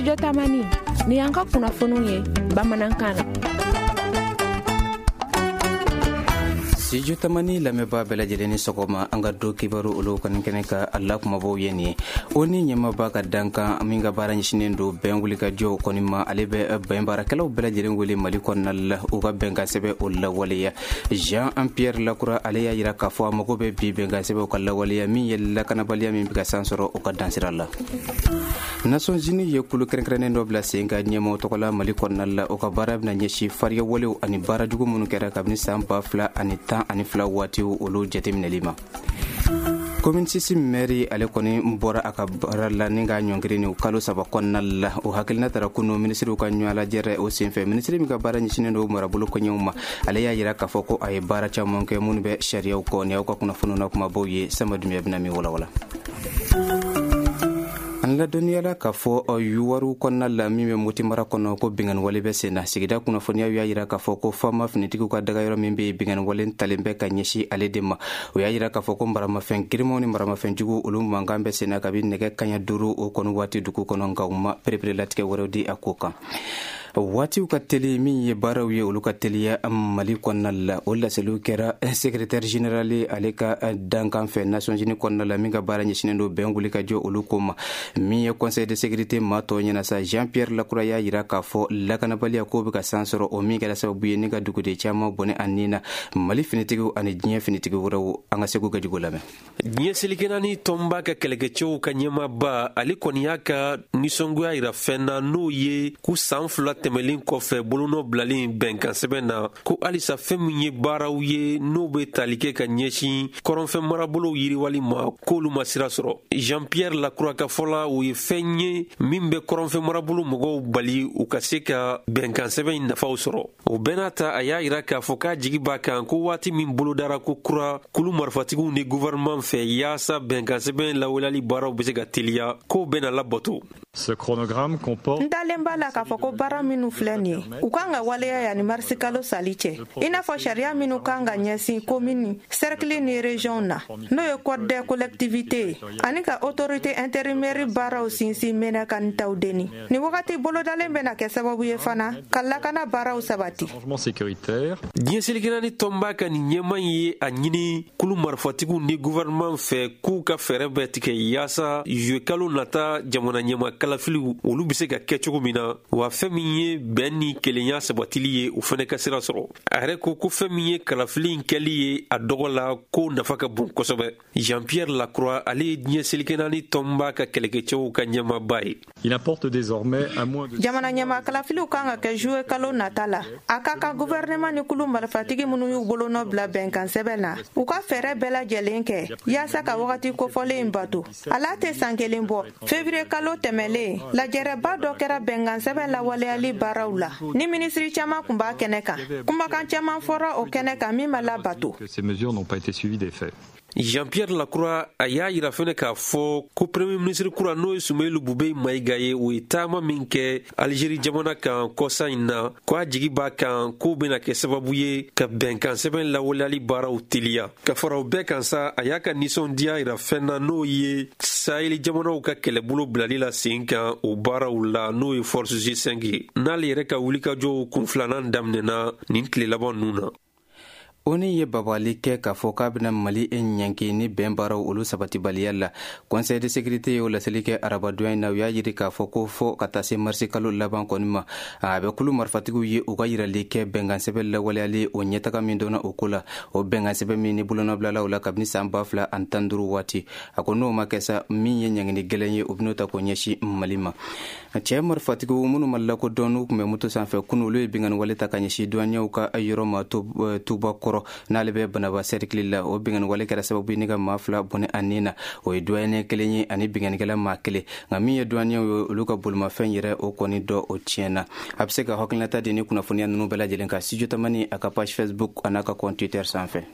Studio Tamani ni y'an ka kunnafoniw ye bamanankan na. Studio Tamani lamɛnbaa bɛɛ lajɛlen ni sɔgɔma. An ka don kibaru olu kɔni kɛnɛ ka a la kumabaw ye nin ye. ONU ɲɛmaaba ka dankan min ka baara ɲɛsinnen don bɛn wulikajɔw kɔni ma, ale bɛ bɛn baarakɛlaw bɛɛ lajɛlen wele Mali kɔnɔna la, u ka bɛnkan sɛbɛn o lawaleya. Jean Pierre Lacroix, ale y'a yira k'a fɔ a mago bɛ bi bɛnkan sɛbɛn ka lawaleya, min ye lakanabaliya min bɛ ka san sɔrɔ o ka dansira la. Nations Unies ye kulu kɛrɛnkɛrɛnnen dɔ bila sen ka ɲɛmaw tɔgɔ la Mali kɔnɔna la. O ka baara bɛna ɲɛsin fariya walew ani baara jugu minnu kɛra kabini san 2012 waatiw, olu jateminɛli ma. Commune 6 maire, ale kɔni bɔra a ka baara la ni k'a ɲɔngiri ni kalo 3 kɔnɔna la. O hakilina tara kunu minisiriw ka ɲɔgɔn lajɛrɛ o senfɛ. Minisiri min ka baara ɲɛsinnen don marabolo koɲɛw ma, ale y'a yira k'a fɔ ko a ye baara caman kɛ minnu bɛ sariyaw kɔ. Ni aw ka kunnafoniw na kumabaw ye, Sama Dunbiya bɛna min walawala. An ladɔnniyala k'a fɔ Youwarou kɔnɔna la, min bɛ Moti mara kɔnɔ, ko binkanni wale bɛ sen na. Sigida kunnafoniyaw y'a yira k'a fɔ ko fama finitigiw ka dagayɔrɔ min bɛ yen, binkanni wale talen bɛ ka ɲɛsin ale de ma. O y'a yira k'a fɔ ko maramafɛn girimanw ni maramafɛn jugu, olu mankan bɛ sen na kabi nɛgɛ kaɲa 5 o kɔni waati dugu kɔnɔ, nka u ma pereperelatigɛ wɛrɛw di a ko kan. Waatiw ka teli, min ye baaraw ye, olu ka teliya Mali kɔnɔna la. O laseliw kɛra secrétaire général ale ka dankan fɛ Nations Unies kɔnɔna la, min ka baara ɲɛsinnen don bɛn wuli ka jɔ olu ko ma. Min ye Conseil de sécurité maa tɔw ɲɛna sa, Jean Pierre Lacroix y'a yira k'a fɔ lakanabaliya ko bɛ ka san sɔrɔ, o min kɛra sababu ye ni ka duguden caman bɔnɛ a nin na, Mali finitigiw ani diɲɛ finitigi wɛrɛw. An ka Segu Gajugu lamɛn. Diɲɛ seleke naani tɔnba ka kɛlɛkɛcɛw ka ɲɛmaaba, ale kɔni y'a ka nisɔngoya yira fɛn na, n'o ye ko san 2 tɛmɛlen kɔfɛ bolonɔ bilalen bɛnkan sɛbɛn na, ko halisa fɛn min ye baaraw ye n'o bɛ tali kɛ ka ɲɛsin kɔrɔnfɛ marabolow yiriwali ma, k'olu ma sira sɔrɔ. Jean Pierre Lacroix ka fɔ la, o ye fɛn ye min bɛ kɔrɔnfɛ marabolo mɔgɔw bali u ka se ka bɛnkan sɛbɛn in nafaw sɔrɔ. O bɛɛ n'a ta, a y'a yira k'a fɔ k'a jigi b'a kan ko waati min bolodara ko kura kulu marifatigiw ni gouvernement fɛ yaasa bɛnkan sɛbɛn lawaleyali baaraw bɛ se ka teliya, k'o bɛna labato. Ce chronogramme comporte N dalen b'a la k'a fɔ ko baara minnu filɛ nin ye, u kan ka waleya yanni marisi kalo sali cɛ, i n'a fɔ sariya minnu kan ka ɲɛsin komini, sɛrikili ni région na, n'o ye code des collectivités ye, ani ka autorité intérimaire baaraw sinsin Menaka ni Tawudeni. Nin wagati bolodalen bɛna kɛ sababu ye fana ka lakana baaraw sabati. Arrangement sécuritaire. Diɲɛ seleke naani tɔnba ka nin ɲɛma ye a ɲini kulu marifatigiw ni gouvernement fɛ k'u ka fɛɛrɛ bɛɛ tigɛ yaasa juillet kalo nata jamana ɲɛma kalafiliw, olu bɛ se ka kɛ cogo min na, wa fɛn min ye bɛn ni kelenya sabatili ye, o fɛnɛ ka sira sɔrɔ. A yɛrɛ ko ko fɛn min ye kalafili in kɛli ye a dɔgɔ la, ko nafa ka bon kosɛbɛ. Jean Pierre Lacroix, ale ye diɲɛ seleke naani tɔnba ka kɛlɛkɛcɛw ka ɲɛmaaba ye. Il importe désormais à moins de Jamana ɲɛma kalafiliw kan ka kɛ juillet kalo nata la. A ka kan gouvernement ni kulu marifatigi minnu y'u bolonɔ bila bɛnkan sɛbɛn na, u ka fɛɛrɛ bɛɛ lajɛlen kɛ yaasa ka wagati kofɔlen in bato. Ala tɛ san kelen bɔ, février kalo tɛmɛlen, lajɛrɛba dɔ kɛra bɛnkan sɛbɛn lawaleyali baaraw la, ni minisiri caman kun b'a kɛnɛ kan. Kumakan caman fɔra o kɛnɛ kan min ma labato. Que ces mesures n'ont pas été suivies d'effet. Jean-Pierre Lacroix, a y'a yira fɛnɛ k'a fɔ ko premier ministre kura, n'o ye Soumeylou Boubèye Maïga ye, o ye taama min kɛ Algérie jamana kan kɔsa in na, ko a jigi b'a kan k'o bɛna kɛ sababu ye ka bɛnkan sɛbɛn lawaleyali baaraw teliya. Ka fara o bɛɛ kan sa, a y'a ka nisɔndiya yira fɛn na, n'o ye Sahel jamanaw ka kɛlɛbolo bilali la sen kan o baaraw la, n'o ye Force G5 ye, n'ale yɛrɛ ka wulikajɔw kun filanan daminɛna nin tile laban ninnu na. ONU ye babali kɛ k'a fɔ k'a bɛna Mali ɲanki ni bɛn baaraw olu sabatibaliya la. Conseil de sécurité y'o laseli kɛ arabadonya in na. U y'a yiri k'a fɔ ko fɔ ka taa se marisi kalo laban kɔni ma, a bɛ kulu marifatigiw ye u ka yirali kɛ bɛnkan sɛbɛn lawaleyali o ɲɛtaga min dɔnna o ko la, o bɛnkan sɛbɛn min ni bolonɔbilala o la kabini san 2015 waati. A ko n'o ma kɛ sa, min ye ɲangini gɛlɛn ye, o bɛn'o ta k'o ɲɛsin Mali ma. Cɛ marifatigiw minnu ma lakodɔn, n'u tun bɛ moto sanfɛ kunu, olu ye binkanni wale ta ka ɲɛsin douaniers ka yɔrɔ ma Tuba Kɔrɔ, n'ale bɛ Banaba cercle la. O binkanni wale kɛra sababu ye ni ka maa fila bɔnɛ a nin na. O ye douanier kelen ye ani binkannikɛla maa kelen. Nka min ye douaniers ye, olu ka bolimafɛn yɛrɛ, o kɔni dɔ o tiɲɛna. A bɛ se ka hakilinata di ni kunnafoniya ninnu bɛɛ lajɛlen kan Studio Tamani a ka page Facebook a n'a ka compte Twitter sanfɛ.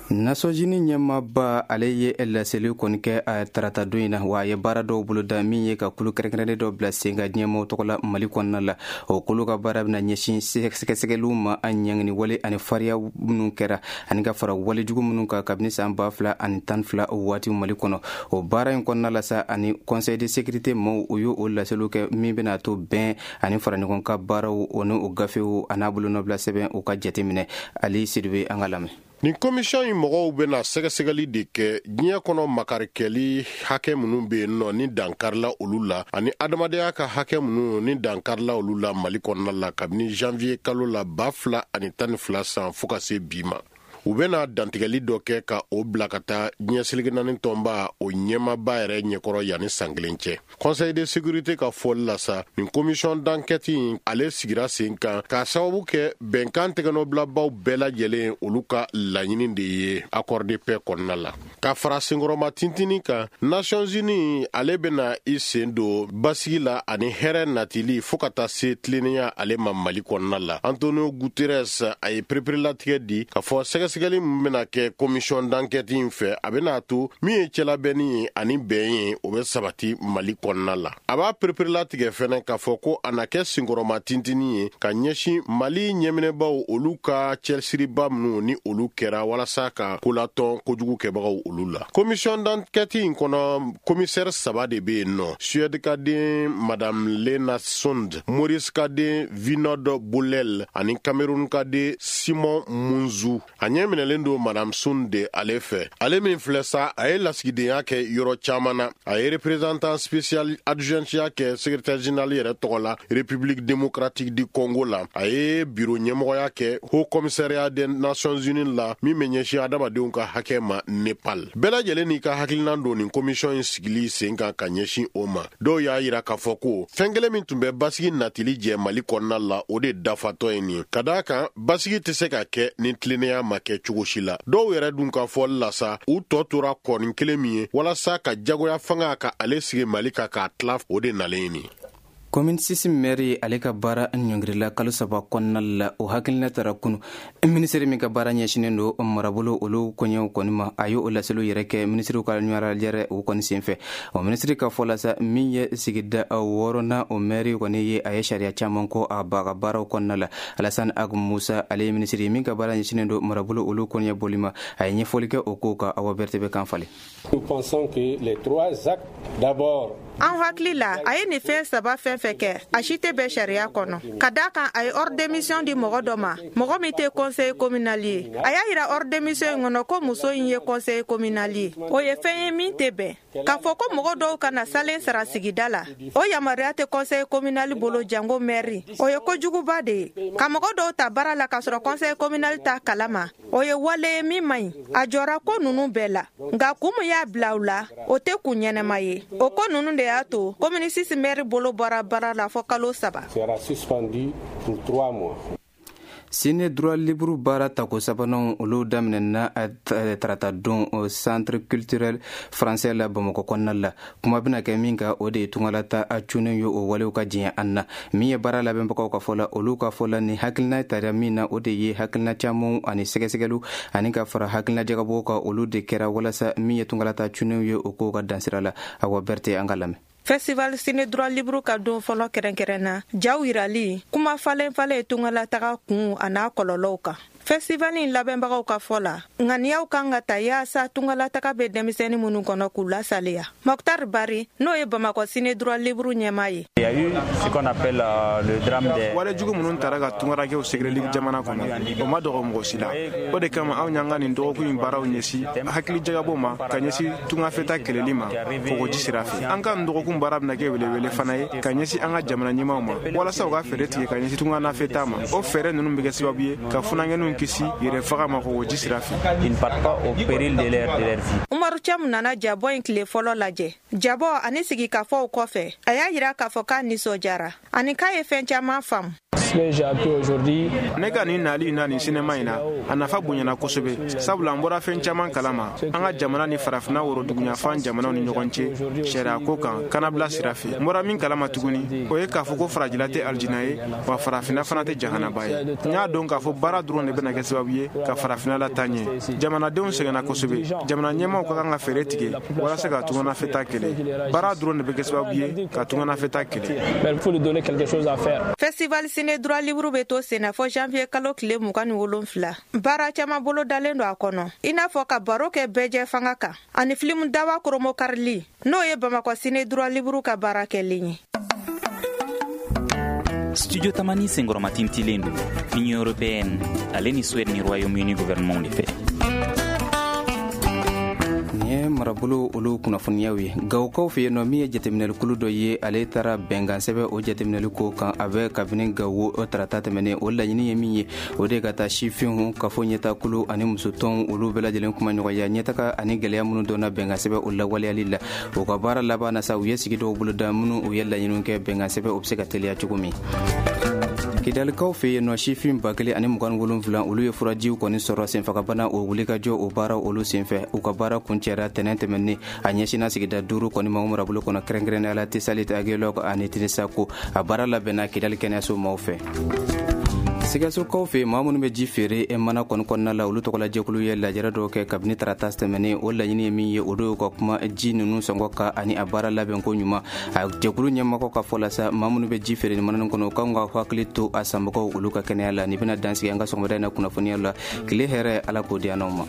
Nations Unies ɲɛmaaba, ale ye laseli kɔni kɛ a tarata don in na, wa a ye baara dɔw boloda min ye ka kulu kɛrɛnkɛrɛnnen dɔ bila sen kan diɲɛmaw tɔgɔ la Mali kɔnɔna la. O kulu ka baara bɛna ɲɛsin sɛgɛsɛgɛliw ma, a ɲangini wale ani fariya minnu kɛra, ani ka fara walejugu minnu kan kabini san 2012 waati Mali kɔnɔ. O baara in kɔnɔna la sa, ani Conseil de sécurité maaw, o y'o o laseliw kɛ min bɛna to bɛn ani fara ɲɔgɔn ka baaraw, o ni o gafew a n'a bolonɔbila sɛbɛn, u ka jateminɛ. Ali Sidibe, an ka lamɛn. Nin commission in mɔgɔw bɛna sɛgɛsɛgɛli de kɛ diɲɛ kɔnɔ, makarikɛli hakɛ minnu bɛ yen nɔ ni dankarila olu la, ani adamadenya ka hakɛ minnu ni dankarila olu la Mali kɔnɔna la kabini janvier kalo la 2012 san fo ka se bi ma. U bɛna dantigɛli dɔ kɛ ka o bila ka taa diɲɛ seleke naani tɔnba o ɲɛmaba yɛrɛ ɲɛkɔrɔ yanni san kelen cɛ. Conseil de sécurité ka fɔli la sa, nin commission d'enquête in, ale sigira sen kan k'a sababu kɛ bɛnkan tɛgɛnɔbilabaw bɛɛ lajɛlen olu ka laɲini de ye accord de paix kɔnɔna la. Ka fara senkɔrɔma tintini kan, Nations Unies ale bɛna i sen don basigi la ani hɛrɛ natili fɔɔ ka taa se tilennenya ale ma Mali kɔnɔna la. Antonio Guterres, a ye pereperelatigɛ di k'a fɔ sɛgɛsɛgɛli min bɛna kɛ commission d'enquête in fɛ, a bɛna to min ye cɛlabɛnni ye ani bɛn ye, o bɛ sabati Mali kɔnɔna la. A b'a pereperelatigɛ fɛnɛ k'a fɔ ko a na kɛ senkɔrɔma tintini ye ka ɲɛsin Mali ɲɛminɛbaw olu ka cɛsiriba minnu ni olu kɛra walasa ka kolatɔn kojugu kɛbagaw olu la. Commission d'enquête in kɔnɔ, commissaire saba de bɛ yen nɔ: Suède ka den Madame Lena Sund, Maurice ka den Vinod Bolel ani Cameroun ka den Simon Munzu. A ɲɛ minɛlen don Madame Sund de ale fɛ. Ale min filɛ sa, a ye lasigidenya kɛ yɔrɔ caman na. A ye représentant spécial adjointiya kɛ secrétaire général yɛrɛ tɔgɔ la République démocratique du Congo la. A ye bureau ɲɛmɔgɔya kɛ Haut Commissariat des Nations Unies la min bɛ ɲɛsin adamadenw ka hakɛ ma Nepal. Bɛɛ lajɛlen n'i ka hakilinan don nin commission in sigili sen kan ka ɲɛsin o ma. Dɔw y'a yira k'a fɔ ko fɛn kelen min tun bɛ basigi natili jɛ Mali kɔnɔna la, o de dafatɔ ye nin ye, ka d'a kan basigi tɛ se ka kɛ ni tilennenya ma kɛ cogo si la. Dɔw yɛrɛ dun ka fɔli la sa, u tɔ tora kɔni kelen min ye walasa ka jagoya fanga ka ale sigi Mali kan k'a tila, o de nalen ye nin. Commune 6 maire, ale ka baara ɲɔngirila kalo 3 kɔnɔna la. O hakilina tara kunu. Minisiri min ka baara ɲɛsinen don marabolo olu koɲɛw kɔni ma, a ye o laseliw yɛrɛ kɛ minisiriw ka ɲɔgɔnlajɛrɛ o kɔni senfɛ. O minisiri ka fɔ la sa, min ye sigida wɔɔrɔnan o maire kɔni ye, a ye sariya caman kɔ a ba ka baaraw kɔnɔna la. Alassane Ag Musa, ale ye minisiri min ka baara ɲɛsinen don marabolo olu kɔɲɛ boli ma, a ye ɲɛfɔli kɛ o kow kan. Awa Berete bɛ kan falen. Nous pensons que les trois actes, d'abord, An hakili la, a ye nin fɛn saba fɛn fɛn kɛ, a si tɛ bɛn sariya kɔnɔ, ka da kan a ye ordre de mission di mɔgɔ dɔ ma, mɔgɔ min tɛ conseil communal ye. A y'a yira ordre de mission in kɔnɔ ko muso in ye conseil communal ye. O ye fɛn ye min tɛ bɛn. K'a fɔ ko mɔgɔ dɔw kana salen sara sigida la, o yamaruya tɛ conseil communal bolo, jango maire. O ye kojuguba de ye. Ka mɔgɔ dɔw ta baara la k'a sɔrɔ conseil communal t'a kalama, o ye wale ye min man ɲi. A jɔra ko ninnu bɛɛ la, nka kun min y'a bila u la, o tɛ kun ɲɛnɛma ye. O ko ninnu de y'a to commune 6 maire bolo bɔra baara la fɔ kalo 3. sera suspendu pour 3 mois. Ciné droit libre baara tako sabanan, olu daminɛna tarata don Centre culturel français la Bamakɔ kɔnɔna la. Kuma bɛna kɛ min kan, o de ye tungalata a cunnen ye, o walew ka diɲɛ an na. Min ye baara labɛnbagaw ka fɔ la, olu ka fɔ la, ni hakilina tara min na, o de ye hakilina camanw ani sɛgɛsɛgɛliw ani ka fara hakilina jagabɔw kan, olu de kɛra walasa min ye tungalata cunnenw ye, o kow ka dansira la. Awa Berete, an ka lamɛn. Festival Ciné Droit Libre ka don fɔlɔ kɛrɛnkɛrɛn na, jaw yirali, kuma falen falen tungalataga kun a n'a kɔlɔlɔw kan. Festival in labɛnbagaw ka fɔ la, ŋaniyaw kan ka ta yaasa tungalataga bɛ denmisɛnnin minnu kɔnɔ, k'u lasaliya. Mɔktar Bari, n'o ye Bamakɔ Ciné Droit Libre ɲɛmaa ye. Il y a eu ce qu'on appelle le drame des Wale jugu minnu tara ka tungarakɛw sɛgɛrɛli jamana kɔnɔ, o ma dɔgɔ mɔgɔ si la. O de kama anw y'an ka nin dɔgɔkun in baaraw ɲɛsin hakili jagabɔ ma ka ɲɛsin tungafɛta kɛlɛli ma kɔgɔji sira fɛ. An ka nin dɔgɔkun baara bɛna kɛ welewele fana ye ka ɲɛsin an ka jamana ɲɛmaw ma, walasa u ka fɛɛrɛ tigɛ ka ɲɛsin tunganafɛta ma. O fɛɛrɛ ninnu bɛ kɛ sababu ye ka funankɛninw kisi yɛrɛ faga ma kɔgɔji sira fɛ. Ils ne partent pas au péril de leur vie. Umaru Camu nana jabɔ in tile fɔlɔ lajɛ. Jabɔ ani sigikafɔw kɔfɛ, a y'a yira k'a fɔ k'a nisɔndiyara ani k'a ye fɛn caman faamu. Ne ka nin nali na nin sinema in na, a nafa bonyana kosɛbɛ, sabula an bɔra fɛn caman kalama an ka jamana ni Farafinna woroduguyanfan jamanaw ni ɲɔgɔn cɛ sariya ko kan kanabila sira fɛ. N bɔra min kalama tuguni, o ye k'a fɔ ko Farajɛla tɛ alijina ye, wa Farafinna fana tɛ jahanaba ye. N y'a dɔn k'a fɔ baara dɔrɔn de bɛna. bɛna kɛ sababu ye ka farafinna lataa ɲɛ. Jamanadenw sɛgɛnna kosɛbɛ. Jamana ɲɛmaaw ka kan ka fɛɛrɛ tigɛ walasa ka tunganafɛtaa kɛlɛ. Baara dɔrɔn de bɛ kɛ sababu ye ka tunganafɛtaa kɛlɛ. Festival Ciné Droit Libre bɛ to senna fɔ janvier kalo tile 27. Baara caman bolo dalen don a kɔnɔ, i n'a fɔ ka baro kɛ bɛɛjɛ fanga kan ani filimu dawa koromokarili, n'o ye Bamakɔ Ciné Droit Libre ka baara kɛlen ye. Studio Tamani senkɔrɔmatintilen don Union européenne ale ni Suède ni Royaume-Uni gouvernement de fɛ. Nin ye marabolo olu kunnafoniyaw ye. Gawokaw fɛ yen nɔ, min ye jateminɛlikulu dɔ ye, ale taara bɛnkan sɛbɛn o jateminɛli ko kan a bɛ kabini Gawo o tarata tɛmɛnen. O laɲini ye min ye, o de ka taa sifinw, kafo ɲɛtakulu ani musotɔnw, olu bɛɛ lajɛlen kuma ɲɔgɔnya ɲɛtaga ani gɛlɛya minnu dɔnna bɛnkan sɛbɛn o lawaleyali la. O ka baara laban na sa, u ye sigi dɔw boloda minnu u ye laɲiniw kɛ bɛnkan sɛbɛn o bɛ se ka teliya cogo min. Kidalikaw fɛ yen nɔ, sifin 1027, olu ye furajiw kɔni sɔrɔ senfagabana o wulikajɔ o baara olu senfɛ. U ka baara kuncɛra tɛnɛn tɛmɛnen. A ɲɛsinna sigida 5 kɔni ma o marabolo kɔnɔ, kɛrɛnkɛrɛnnenya la Tesalit, Agelog ani Tinisako. A baara labɛnna Kidali kɛnɛyaso maaw fɛ. Sikasokaw fɛ, maa minnu bɛ ji feere mana kɔni kɔnɔna la, olu tɔgɔla jɛkulu ye lajɛrɛ dɔw kɛ kabini tarata tɛmɛnen. O laɲini ye min ye, o y'u ka kuma ji ninnu sɔngɔ kan ani a baara labɛnko ɲuman. A jɛkulu ɲɛmɔgɔ ka fɔ la sa, maa minnu bɛ ji feere ni mana kɔnɔ, u kan ka hakili to a sanbagaw olu ka kɛnɛya la. Nin bɛna dansigi an ka sɔgɔmada in na kunnafoniya la. Tile hɛrɛ, Ala k'o di an n'aw ma.